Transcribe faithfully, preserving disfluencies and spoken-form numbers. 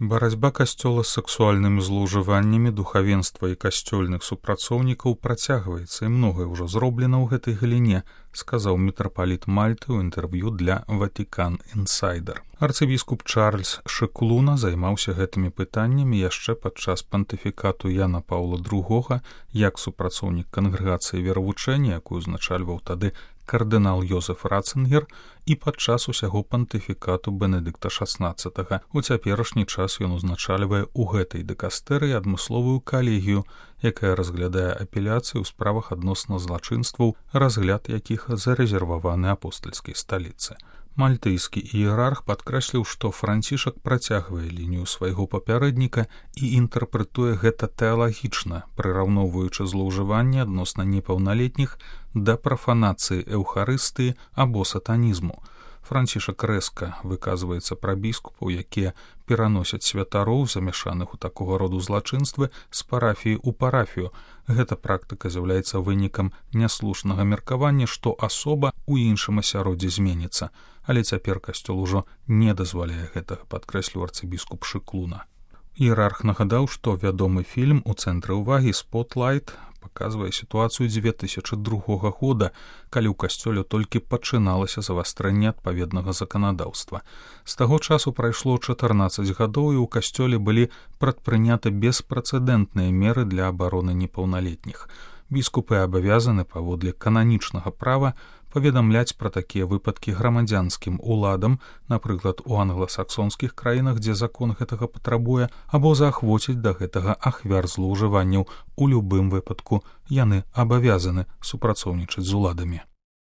Барацьба касцёла з сексуальнымі злоўжываннямі духавенства і касцёльных супрацоўнікаў працягваецца, і многае ўжо зроблена ў гэтай галіне, сказаў мітрапаліт Мальты ў інтэрв'ю для Ватикан Інсайдер. Арцыбіскуп Чарльз Шеклуна займаўся гэтымі пытаннямі яшчэ падчас пантыфікату Яна Паўла другога як супрацоўнік кангрэгацыі веравучэння, якую узначальваў тады кардынал Йозеф Ратцингер, і падчас усяго пантыфікату Бенедыкта шаснаццатага. У цяперашні час ён узначальвае ў гэтай дыкастэрыі адмысловую калегію, якая разглядае апеляцыі ў справах адносна злачынстваў, разгляд якіх зарэзерваваны апостальскай сталіцы. Мальтыйскі іерарх падкрэсліў, што Францішак працягвае лінію свайго папярэдніка і інтэрпрэтуе гэта тэалагічна, прыраўноўваючы злоўжыванні адносна непаўналетніх да прафанацыі эўхарыстыі або сатанізму. Францішак рэзка выказваецца пра біскупаў, якія пераносяць святароў, замяшаных у такога роду злачынствы, з парафіі ў парафію. Гэта практыка з'яўляецца вынікам няслушнага меркавання, што асоба ў іншым асяроддзі зменіцца. Але цяпер касцёл ужо не дазваляе гэтага, падкрэсліў арцыбіскуп Шеклуна. Іерарх нагадаў, што вядомы фільм у цэнтры ўвагі «Спотлайт» паказвае сітуацыю дзве тысячы другога года, калі ў касцёле толькі пачыналася завастрэнне адпаведнага заканадаўства. З таго часу прайшло чатырнаццаць гадоў, і ў касцёле былі прадпрыняты беспрэцэдэнтныя меры для абароны непаўналетніх. Біскупы абавязаны паводле кананічнага права паведамляць пра такія выпадкі грамадзянскім уладам, напрыклад, у англасаксонскіх краінах, дзе закон гэтага патрабуе, або заахвоціць да гэтага ахвяр злоўжыванняў. У любым выпадку яны абавязаны супрацоўнічаць з уладамі.